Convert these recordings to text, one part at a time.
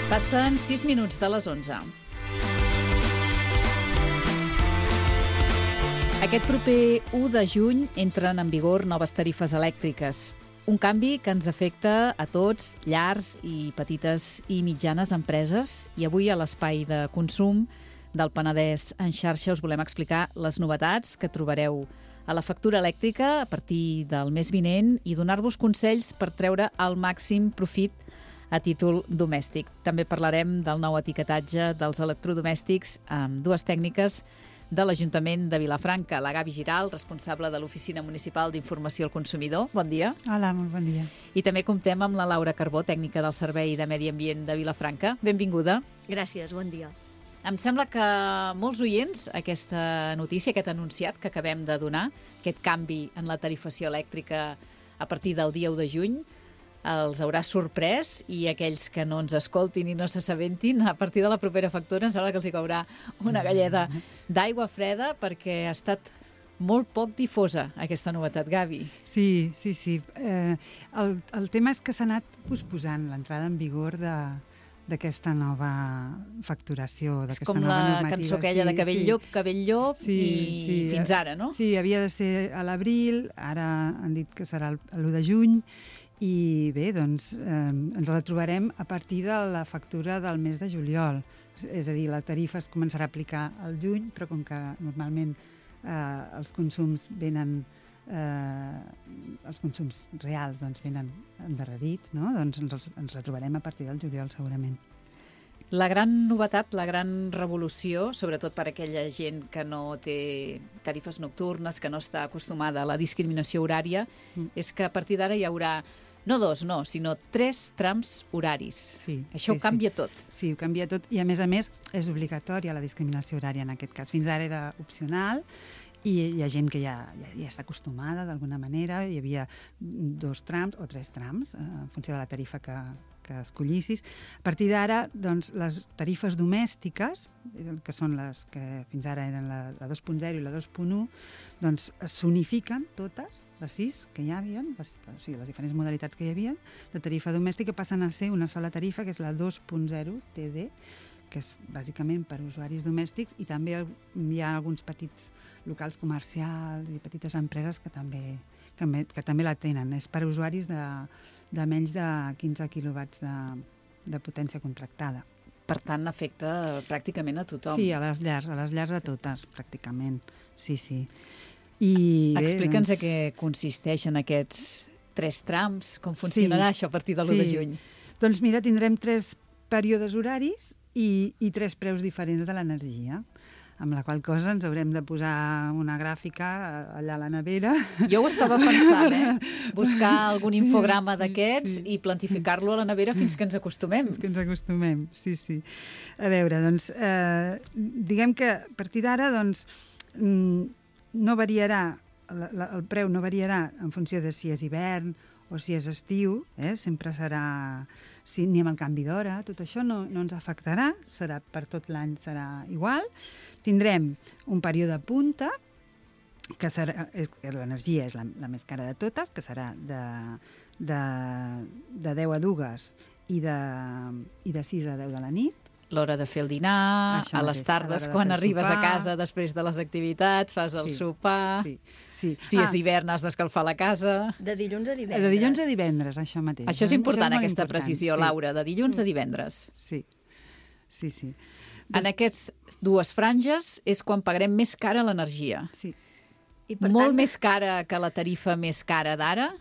Passen 6 minuts de les 11. Aquest proper 1 de juny entren en vigor noves tarifes elèctriques. Un canvi que ens afecta a tots, llars i petites i mitjanes empreses. I avui a l'Espai de Consum del Penedès en xarxa us volem explicar les novetats que trobareu a la factura elèctrica a partir del mes vinent i donar-vos consells per treure el màxim profit a títol domèstic. També parlarem del nou etiquetatge dels electrodomèstics amb dues tècniques de l'Ajuntament de Vilafranca. La Gavi Giral, responsable de l'Oficina Municipal d'Informació al Consumidor. Bon dia. Hola, molt bon dia. I també comptem amb la Laura Carbó, tècnica del Servei de Medi Ambient de Vilafranca. Benvinguda. Gràcies, bon dia. Em sembla que molts oients, aquesta notícia, aquest anunciat que acabem de donar, aquest canvi en la tarifació elèctrica a partir del dia 1 de juny, els haurà sorprès, i aquells que no ens escoltin i no s'assabentin, a partir de la propera factura em sembla que els hi caurà una galleda d'aigua freda, perquè ha estat molt poc difosa aquesta novetat, Gavi. Sí. El tema és que s'ha anat posposant l'entrada en vigor d'aquesta nova facturació, d'aquesta nova normativa. És com la cançó aquella de cabell llop, i fins ara, no? Sí, havia de ser a l'abril, ara han dit que serà l'1 de juny, i bé, doncs ens la trobarem a partir de la factura del mes de juliol. És a dir, la tarifa es començarà a aplicar al juny, però com que normalment els consums venen, els consums reals venen endarrerits, no? Doncs ens la trobarem a partir del juliol segurament. La gran novetat, la gran revolució, sobretot per a aquella gent que no té tarifes nocturnes, que no està acostumada a la discriminació horària, és que a partir d'ara hi haurà no 2, sinó 3 trams horaris. Sí, Això ho canvia tot. Sí, ho canvia tot, i a més és obligatòria la discriminació horària en aquest cas. Fins ara era opcional, i hi ha gent que ja està acostumada d'alguna manera. Hi havia 2 trams o 3 trams en funció de la tarifa que escollissis. A partir d'ara, doncs, les tarifes domèstiques, que són les que fins ara eren la 2.0 i la 2.1, doncs s'unifiquen totes, les 6 que hi havia, o sigui, les diferents modalitats que hi havia de tarifa domèstica passen a ser una sola tarifa, que és la 2.0 TD, que és bàsicament per usuaris domèstics, i també hi ha alguns petits locals comercials i petites empreses que també la tenen. És per usuaris de menys de 15 quilowatts de potència contractada. Per tant, afecta pràcticament a tothom. Sí, a les llars de totes, pràcticament. Sí. Explica'ns a què consisteixen aquests 3 trams, com funcionarà això a partir de l'1 de juny. Doncs mira, tindrem 3 períodes horaris i 3 preus diferents de l'energia, amb la qual cosa ens haurem de posar una gràfica allà a la nevera. Jo ho estava pensant, buscar algun infograma d'aquests i plantificar-lo a la nevera fins que ens acostumem. Fins que ens acostumem, sí. A veure, doncs, diguem que a partir d'ara, doncs, no variarà, el preu no variarà en funció de si és hivern o si és estiu, sempre serà, ni amb el canvi d'hora, tot això no ens afectarà, serà per tot l'any, serà igual. Tindrem un període punta, que l'energia és la més cara de totes, que serà de 10 a 2 i de 6 a 10 de la nit. L'hora de fer el dinar, a les tardes, quan arribes a casa després de les activitats, fas el sopar. Si és hivern has d'escalfar la casa. De dilluns a divendres. De dilluns a divendres, això mateix. Això és important, aquesta precisió, Laura, de dilluns a divendres. Sí. En aquestes 2 franges és quan pagarem més cara l'energia. Sí. Molt més cara que la tarifa més cara d'ara?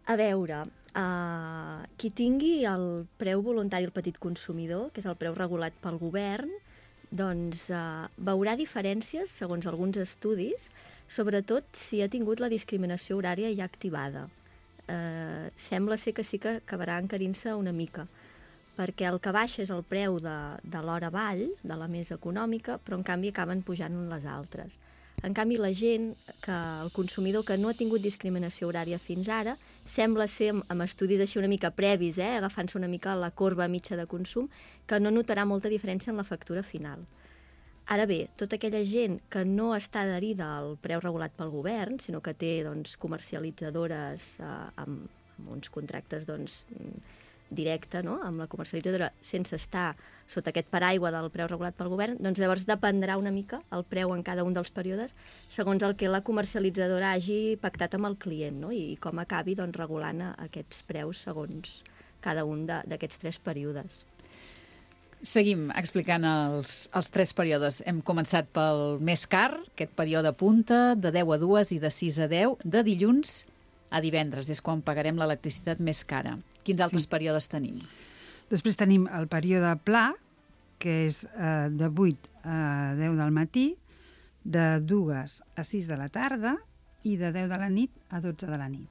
A veure, qui tingui el preu voluntari al petit consumidor, que és el preu regulat pel govern, doncs veurà diferències, segons alguns estudis, sobretot si ha tingut la discriminació horària ja activada. Sembla ser que sí que acabarà encarint-se una mica, perquè el que baixa és el preu de l'hora vall, de la més econòmica, però en canvi acaben pujant les altres. En canvi, la gent, el consumidor que no ha tingut discriminació horària fins ara, sembla ser, amb estudis així una mica previs, agafant-se una mica la corba mitja de consum, que no notarà molta diferència en la factura final. Ara bé, tota aquella gent que no està adherida al preu regulat pel govern, sinó que té comercialitzadores amb uns contractes directe, no?, amb la comercialitzadora, sense estar sota aquest paraigua del preu regulat pel govern, doncs llavors dependrà una mica el preu en cada un dels períodes segons el que la comercialitzadora hagi pactat amb el client, no?, i com acabi doncs, regulant aquests preus segons cada un d'aquests 3 períodes. Seguim explicant els 3 períodes. Hem començat pel més car, aquest període punta, de 10 a 2 i de 6 a 10, de dilluns a divendres. És quan pagarem l'electricitat més cara. Quins altres períodes tenim? Després tenim el període pla, que és de 8 a 10 del matí, de 2 a 6 de la tarda i de 10 de la nit a 12 de la nit.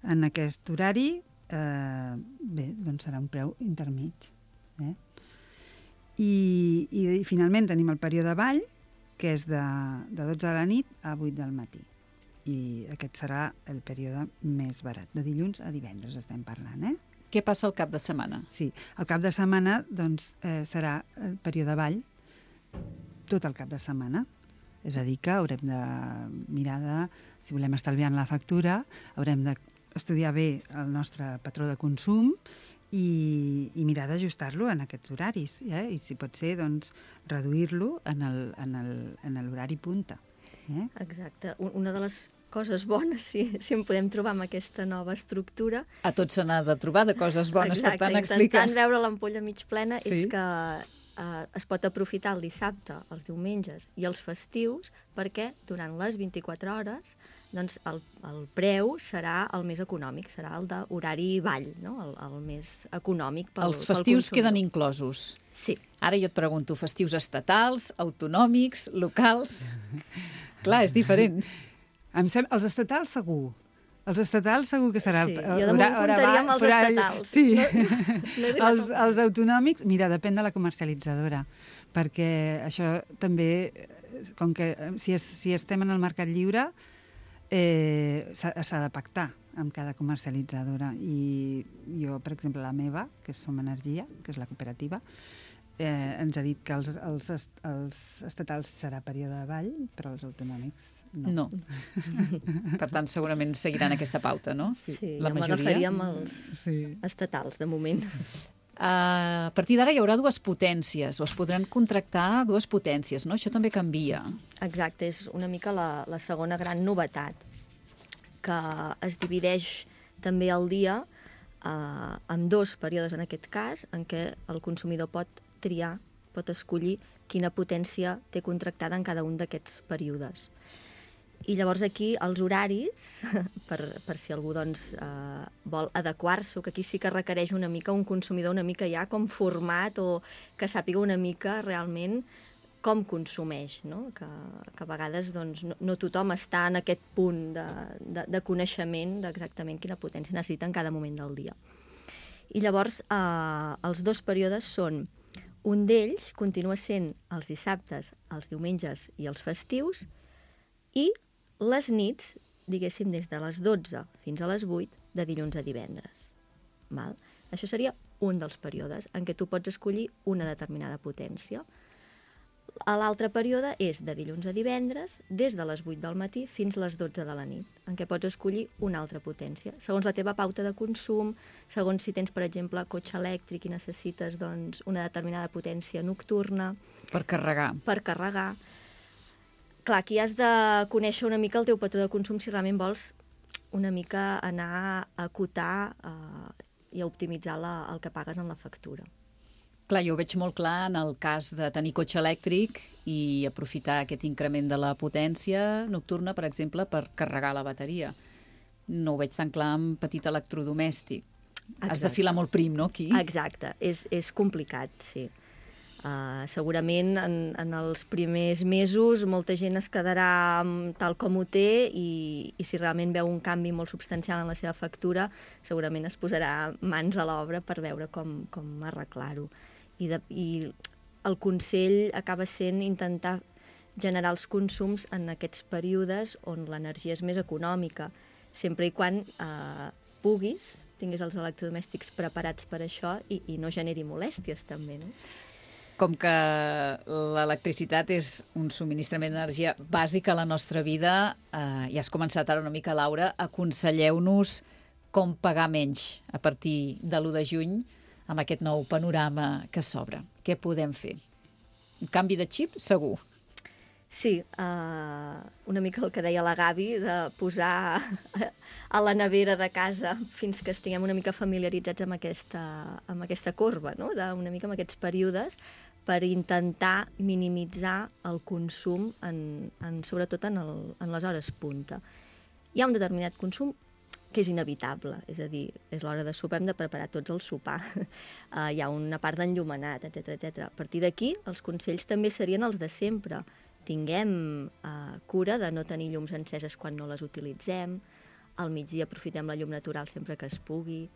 En aquest horari, doncs serà un preu intermig. I finalment tenim el període ball, que és de 12 de la nit a 8 del matí. I aquest serà el període més barat. De dilluns a divendres estem parlant, Què passa al cap de setmana? Sí, el cap de setmana doncs, serà el període ball tot el cap de setmana. És a dir, que haurem de mirar si volem estalviar en la factura, haurem d'estudiar bé el nostre patró de consum i mirar d'ajustar-lo en aquests horaris. I si pot ser, doncs, reduir-lo en l'horari punta. Exacte. Una de les coses bones, si en podem trobar amb aquesta nova estructura... A tots se n'ha de trobar de coses bones, exacte, per tant, explica. Intentant veure l'ampolla mig plena, sí. És que es pot aprofitar el dissabte, els diumenges i els festius, perquè durant les 24 hores doncs, el preu serà el més econòmic, serà el d'horari ball, no? el més econòmic pel Els festius consumidor. queden inclosos. Sí. Ara jo et pregunto, festius estatals, autonòmics, locals... Clar, és diferent. Els estatals segur. Els estatals segur que serà... Sí, jo de moment comptaria amb els estatals. Sí. No Els autonòmics, mira, depèn de la comercialitzadora, perquè això també, com que si estem en el mercat lliure, s'ha de pactar amb cada comercialitzadora. I jo, per exemple, la meva, que és Som Energia, que és la cooperativa, ens ha dit que els estatals serà període de ball, però els autonòmics no. Per tant, segurament seguiran aquesta pauta, no? Sí, la jo m'agafaria amb els estatals, de moment. A partir d'ara hi haurà 2 potències, o es podran contractar 2 potències, no? Això també canvia. Exacte, és una mica la segona gran novetat, que es divideix també el dia en 2 períodes, en aquest cas, en què el consumidor pot triar, pot escollir quina potència té contractada en cada un d'aquests períodes. I llavors aquí els horaris, per si algú doncs, vol adequar-se, que aquí sí que requereix una mica un consumidor una mica ja com format o que sàpiga una mica realment com consumeix, no? Que a vegades doncs, no tothom està en aquest punt de coneixement d'exactament quina potència necessita en cada moment del dia. I llavors els 2 períodes són: un d'ells continua sent els dissabtes, els diumenges i els festius, i les nits, diguéssim, des de les 12 fins a les 8, de dilluns a divendres. Val? Això seria un dels períodes en què tu pots escollir una determinada potència. L'altre període és de dilluns a divendres, des de les 8 del matí fins a les 12 de la nit, en què pots escollir una altra potència. Segons la teva pauta de consum, segons si tens, per exemple, cotxe elèctric i necessites doncs, una determinada potència nocturna. Per carregar. Per carregar. Clar, aquí has de conèixer una mica el teu patró de consum si realment vols una mica anar a acotar i a optimitzar el que pagues en la factura. Clar, jo ho veig molt clar en el cas de tenir cotxe elèctric i aprofitar aquest increment de la potència nocturna, per exemple, per carregar la bateria. No ho veig tan clar en petit electrodomèstic. Exacte. Has de filar molt prim, no, aquí? Exacte, és complicat, sí. Segurament en els primers mesos molta gent es quedarà tal com ho té i si realment veu un canvi molt substancial en la seva factura, segurament es posarà mans a l'obra per veure com arreglar-ho. I el consell acaba sent intentar generar els consums en aquests períodes on l'energia és més econòmica, sempre i quan puguis, tinguis els electrodomèstics preparats per això i no generi molèsties també, no? Com que l'electricitat és un subministrament d'energia bàsic a la nostra vida, ja has començat ara una mica, Laura, aconselleu-nos com pagar menys a partir de l'1 de juny amb aquest nou panorama que s'obre. Què podem fer? Un canvi de xip, segur. Sí, una mica el que deia la Gavi, de posar a la nevera de casa fins que estiguem una mica familiaritzats amb aquesta corba, no? Una mica amb aquests períodes, per intentar minimitzar el consum, sobretot en les hores punta. Hi ha un determinat consum que és inevitable, és a dir, és l'hora de sopar, hem de preparar tots el sopar. Hi ha una part d'enllumenat, etc. A partir d'aquí, els consells també serien els de sempre. Tinguem cura de no tenir llums enceses quan no les utilitzem, al migdia aprofitem la llum natural sempre que es pugui,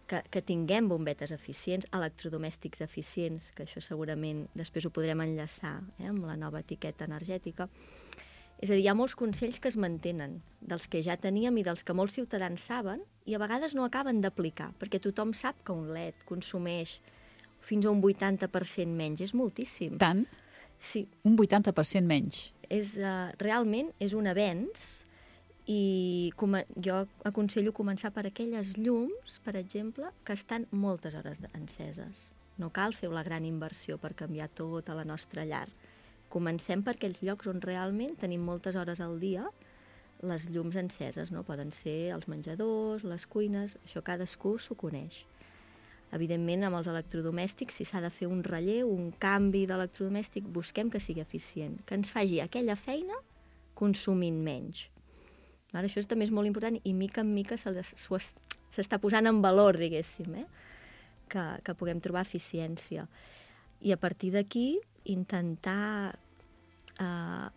que tinguem bombetes eficients, electrodomèstics eficients, que això segurament després ho podrem enllaçar amb la nova etiqueta energètica. És a dir, hi ha molts consells que es mantenen, dels que ja teníem i dels que molts ciutadans saben, i a vegades no acaben d'aplicar, perquè tothom sap que un LED consumeix fins a un 80% menys, és moltíssim. Tant? Sí. Un 80% menys. Realment és un avenç, i jo aconsello començar per aquelles llums, per exemple, que estan moltes hores enceses. No cal fer la gran inversió per canviar tota la nostra llar. Comencem per aquells llocs on realment tenim moltes hores al dia les llums enceses, no? Poden ser els menjadors, les cuines, això cadascú s'ho coneix. Evidentment, amb els electrodomèstics, si s'ha de fer un relleu, un canvi d'electrodomèstic, busquem que sigui eficient, que ens faci aquella feina consumint menys. Això també és molt important i mica en mica s'està posant en valor, diguéssim, que puguem trobar eficiència. I a partir d'aquí intentar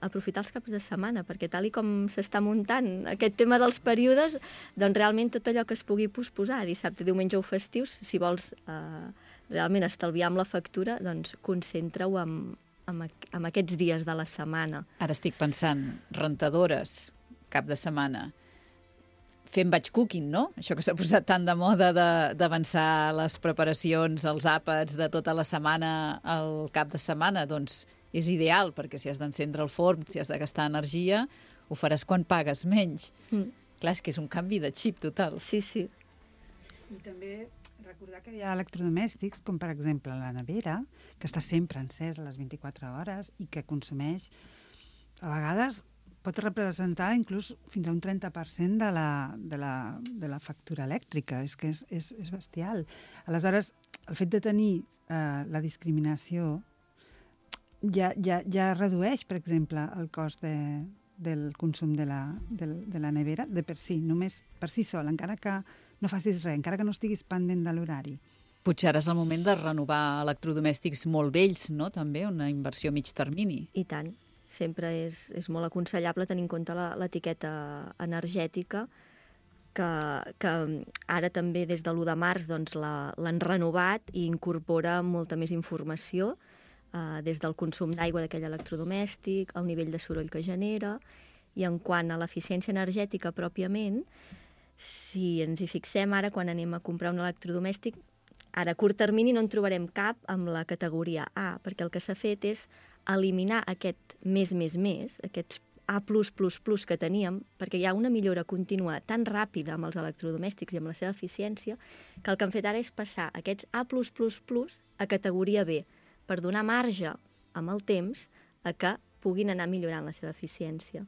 aprofitar els caps de setmana, perquè tal i com s'està muntant aquest tema dels períodes, doncs realment tot allò que es pugui posposar, dissabte, diumenge o festius, si vols realment estalviar amb la factura, doncs concentra-ho en aquests dies de la setmana. Ara estic pensant, rentadores, cap de setmana, fent batch cooking, no? Això que s'ha posat tant de moda d'avançar les preparacions, els àpats de tota la setmana al cap de setmana, doncs és ideal, perquè si has d'encendre el forn, si has de gastar energia, ho faràs quan pagues menys. Clar, és que és un canvi de xip total. Sí, sí. I també recordar que hi ha electrodomèstics, com per exemple la nevera, que està sempre encesa a les 24 hores i que consumeix, a vegades, pot representar inclús fins a un 30% de la factura elèctrica. És que és bestial. Aleshores, el fet de tenir la discriminació ja redueix, per exemple, el cost del consum de la nevera de per si, només per si sol, encara que no facis res, encara que no estiguis pendent de l'horari. Potser ara és el moment de renovar electrodomèstics molt vells, no? També una inversió a mig termini. I tant. Sempre és molt aconsellable tenir en compte l'etiqueta energètica, que ara també des de l'1 de març l'han renovat i incorpora molta més informació, des del consum d'aigua d'aquell electrodomèstic, el nivell de soroll que genera, i en quant a l'eficiència energètica pròpiament, si ens hi fixem ara quan anem a comprar un electrodomèstic, ara a curt termini no en trobarem cap amb la categoria A, perquè el que s'ha fet és eliminar aquest més, aquests A+++ que teníem, perquè hi ha una millora contínua tan ràpida amb els electrodomèstics i amb la seva eficiència, que el que han fet ara és passar aquests A+++ a categoria B, per donar marge amb el temps a que puguin anar millorant la seva eficiència.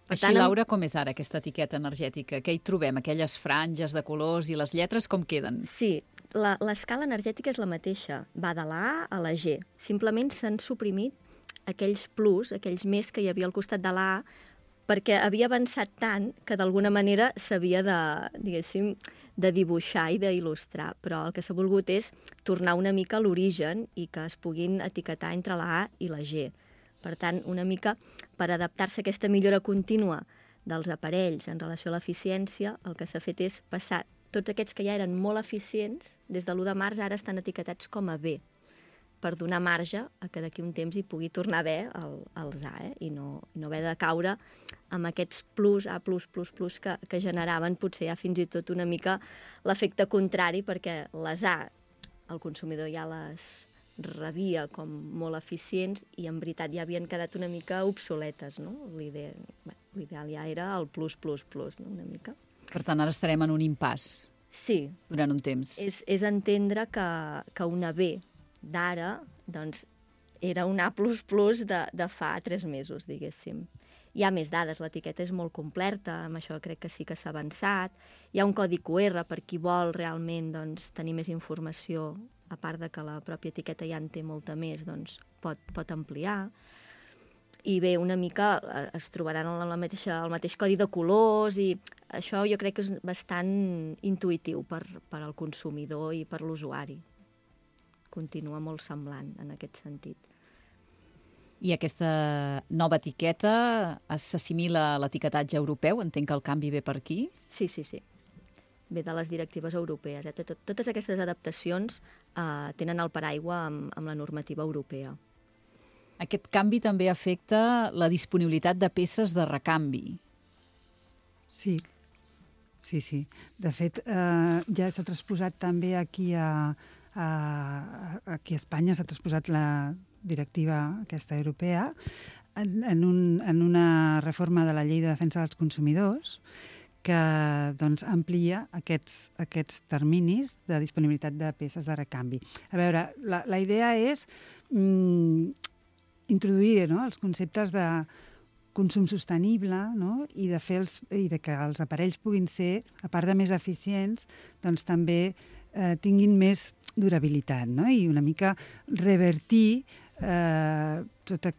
Així, Laura, com és ara aquesta etiqueta energètica? Què hi trobem? Aquelles franges de colors i les lletres com queden? Sí, l'escala energètica és la mateixa, va de la A a la G. Simplement s'han suprimit aquells plus, aquells més que hi havia al costat de la A, perquè havia avançat tant que d'alguna manera s'havia de dibuixar i d'il·lustrar, però el que s'ha volgut és tornar una mica a l'origen i que es puguin etiquetar entre la A i la G. Per tant, una mica per adaptar-se a aquesta millora contínua dels aparells en relació a l'eficiència, el que s'ha fet és passar tots aquests que ja eren molt eficients, des de l'1 de març ara estan etiquetats com a B, per donar marge a que d'aquí un temps hi pugui tornar a haver els A, i no haver de caure amb aquests plus, A+++, que generaven potser ja fins i tot una mica l'efecte contrari, perquè les A el consumidor ja les rebia com molt eficients i en veritat ja havien quedat una mica obsoletes, no? L'ideal ja era el plus, no? Una mica. Per tant, ara estarem en un impàs Sí. durant un temps. És entendre que una B d'ara, doncs, era un A++ de fa 3 mesos, diguéssim. Hi ha més dades, l'etiqueta és molt completa, amb això crec que sí que s'ha avançat. Hi ha un codi QR per qui vol realment doncs, tenir més informació, a part de que la pròpia etiqueta ja en té molta més, doncs pot ampliar. I bé, una mica es trobaran el mateix codi de colors i això jo crec que és bastant intuïtiu per al consumidor i per l'usuari. Continua molt semblant en aquest sentit. I aquesta nova etiqueta s'assimila a l'etiquetatge europeu? Entenc que el canvi ve per aquí? Sí. Ve de les directives europees. Totes aquestes adaptacions tenen el paraigua amb la normativa europea. Aquest canvi també afecta la disponibilitat de peces de recanvi. Sí. De fet, ja s'ha transposat també aquí a Espanya, s'ha transposat la directiva aquesta europea en una reforma de la Llei de Defensa dels Consumidors que doncs, amplia aquests terminis de disponibilitat de peces de recanvi. A veure, la idea és introduir els conceptes de consum sostenible, no? I de que els aparells puguin ser, a part de més eficients, doncs també tinguin més durabilitat, no? I una mica revertir tota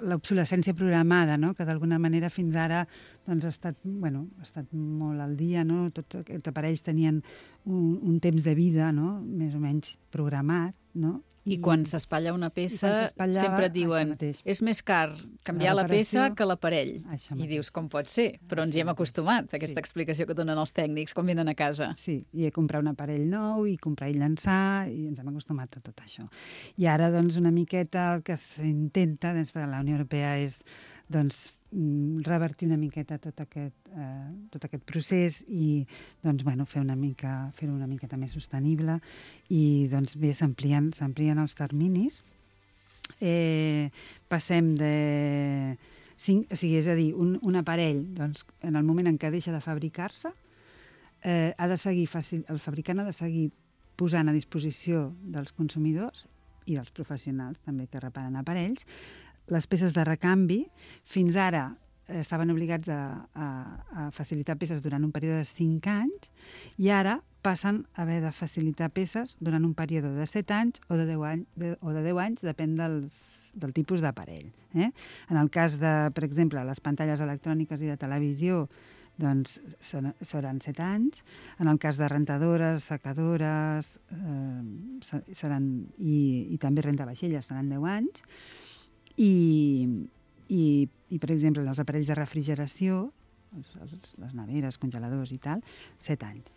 l'obsolescència programada, no? Que d'alguna manera fins ara doncs, ha estat molt al dia, no? Tots aquests aparells tenien un temps de vida, no? Més o menys programat, no? I quan s'espatlla una peça sempre et diuen és més car canviar la peça que l'aparell. I dius, com pot ser? Però ens hi hem acostumat, a aquesta explicació que donen els tècnics quan venen a casa. Sí, i comprar un aparell nou, i comprar i llançar, i ens hem acostumat a tot això. I ara, doncs, una miqueta el que s'intenta des de la Unió Europea és, doncs, revertir una miqueta tot aquest procés i doncs, fer-ho una miqueta més sostenible i doncs, bé, s'amplien els terminis. Passem de 5, és a dir, un aparell, doncs, en el moment en què deixa de fabricar-se, el fabricant ha de seguir posant a disposició dels consumidors i dels professionals també que reparen aparells les peces de recanvi. Fins ara estaven obligats a facilitar peces durant un període de 5 anys i ara passen a haver de facilitar peces durant un període de 7 anys o de 10 anys, depèn del tipus d'aparell. En el cas de, per exemple, les pantalles electròniques i de televisió, doncs seran 7 anys. En el cas de rentadores, secadores i també rentavaixelles seran 10 anys. I per exemple, els aparells de refrigeració, les neveres, congeladors i tal, 7 anys.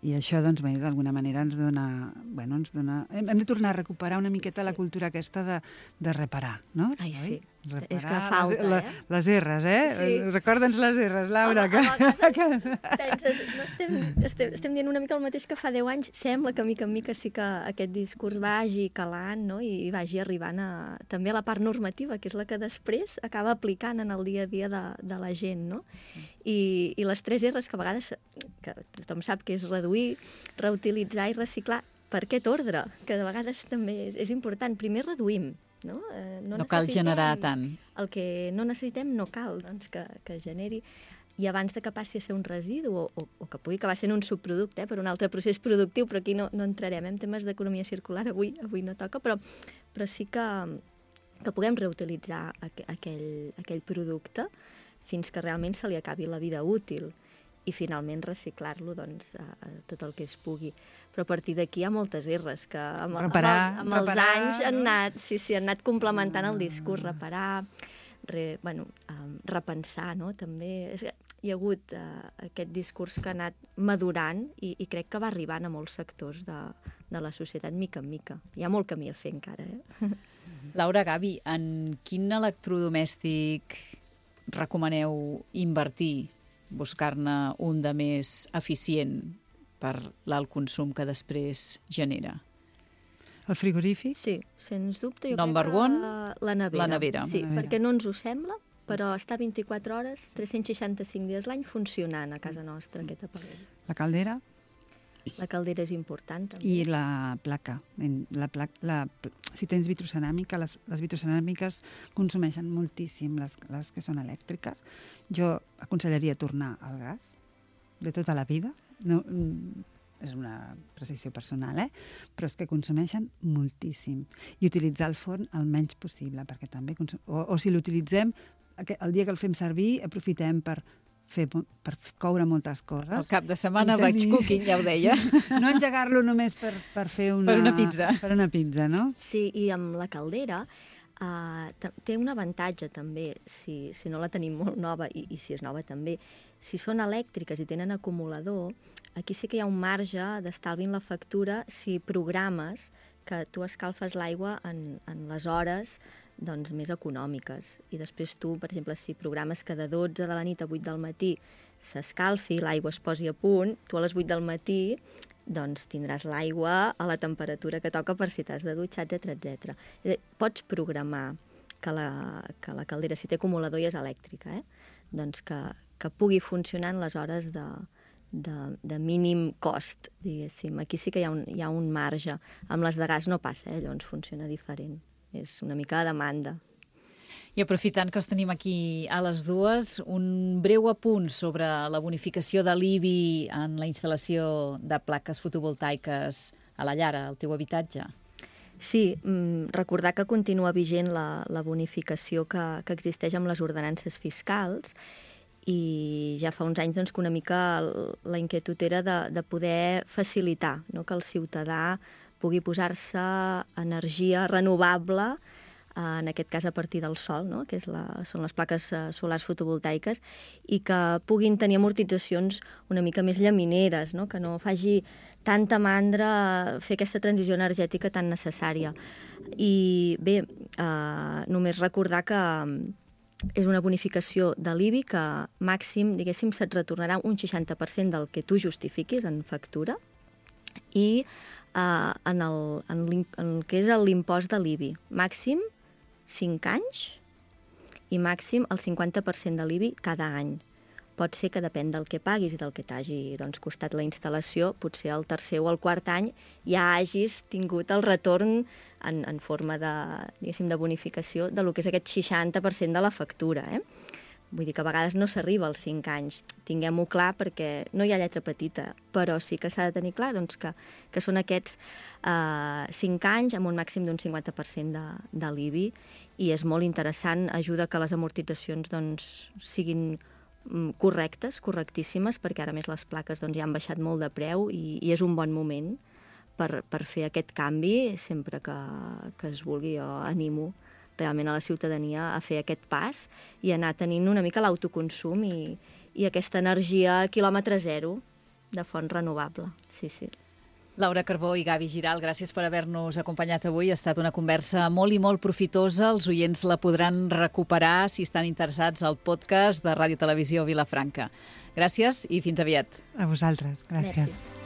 I això, doncs, d'alguna manera ens dona... Hem de tornar a recuperar una miqueta la cultura aquesta de reparar, no? Ai, sí. Reparar és que falta, les R's, Sí. Recorda'ns les R's, Laura. Estem dient una mica el mateix que fa 10 anys. Sembla que, mica en mica, sí que aquest discurs vagi calant, no? I vagi arribant també a la part normativa, que és la que després acaba aplicant en el dia a dia de la gent, no? I les 3 R's, que a vegades que tothom sap que és reduir, reutilitzar i reciclar, per aquest ordre, que de vegades també és important. Primer reduïm, no? No cal generar tant. El que no necessitem no cal doncs, que generi. I abans de que passi a ser un residu o que pugui acabar sent un subproducte per un altre procés productiu, però aquí no entrarem en temes d'economia circular, avui no toca, però sí que puguem reutilitzar aquell producte fins que realment se li acabi la vida útil i finalment reciclar-lo doncs, a tot el que es pugui. Però a partir d'aquí hi ha moltes R's que amb els anys han anat complementant el discurs, reparar, repensar, no? També hi ha hagut aquest discurs que ha anat madurant i crec que va arribant a molts sectors de la societat mica en mica. Hi ha molt camí a fer encara. Laura, Gavi, en quin electrodomèstic recomaneu invertir, buscar-ne un de més eficient per l'alt consum que després genera? El frigorífic? Sí, sens dubte. Jo Number crec que one, la nevera. la nevera. Sí, perquè no ens ho sembla, però està 24 hores, 365 dies l'any funcionant a casa nostra, aquest aparell. La caldera? La caldera és important, també. I la placa. Si tens vitroceràmica, les vitroceràmiques consumeixen moltíssim, les que són elèctriques. Jo aconsellaria tornar al gas de tota la vida. No, és una precisió personal, però és que consumeixen moltíssim. I utilitzar el forn el menys possible, perquè també o si l'utilitzem, el dia que el fem servir, aprofitem per coure moltes coses. El cap de setmana vaig cooking, ja ho deia. No engegar-lo només per fer per una pizza. Per una pizza, no? Sí, i amb la caldera té un avantatge també, si no la tenim molt nova, i si és nova també, si són elèctriques i tenen acumulador, aquí sí que hi ha un marge d'estalvi en la factura si programes que tu escalfes l'aigua en les hores més econòmiques. I després tu, per exemple, si programes que de 12 de la nit a 8 del matí s'escalfi, l'aigua es posi a punt, tu a les 8 del matí tindràs l'aigua a la temperatura que toca per si t'has de dutxar, etc. Pots programar que la caldera, si té acumulador i és elèctrica, que pugui funcionar en les hores de mínim cost, diguéssim. Aquí sí que hi ha un marge. Amb les de gas no passa, llavors funciona diferent. És una mica de demanda. I aprofitant que us tenim aquí a les dues, un breu apunt sobre la bonificació de l'IBI en la instal·lació de plaques fotovoltaiques a la llar, al teu habitatge. Sí, recordar que continua vigent la bonificació que existeix amb les ordenances fiscals i ja fa uns anys que una mica la inquietud era de poder facilitar que el ciutadà pugui posar-se energia renovable, en aquest cas a partir del sol, que són les plaques solars fotovoltaiques, i que puguin tenir amortitzacions una mica més llamineres, que no faci tanta mandra fer aquesta transició energètica tan necessària. I bé, només recordar que és una bonificació de l'IBI que màxim, diguéssim, se't retornarà un 60% del que tu justifiquis en factura i en el que és l'impost de l'IBI. Màxim 5 anys i màxim el 50% de l'IBI cada any. Pot ser que depèn del que paguis i del que t'hagi costat la instal·lació, potser el tercer o el quart any ja hagis tingut el retorn en forma de bonificació de lo que és aquest 60% de la factura. Vull dir que a vegades no s'arriba als 5 anys. Tinguem-ho clar perquè no hi ha lletra petita, però sí que s'ha de tenir clar que són aquests 5 anys amb un màxim d'un 50% de l'IBI i és molt interessant, ajuda que les amortitzacions siguin correctes, correctíssimes, perquè ara més les plaques ja han baixat molt de preu i és un bon moment per fer aquest canvi sempre que es vulgui. Jo animo realment a la ciutadania a fer aquest pas i anar tenint una mica l'autoconsum i aquesta energia a quilòmetre zero de font renovable. Sí, sí. Laura Carbó i Gavi Giral, gràcies per haver-nos acompanyat avui. Ha estat una conversa molt i molt profitosa. Els oients la podran recuperar si estan interessats al podcast de Ràdio Televisió Vilafranca. Gràcies i fins aviat. A vosaltres. Gràcies. Merci.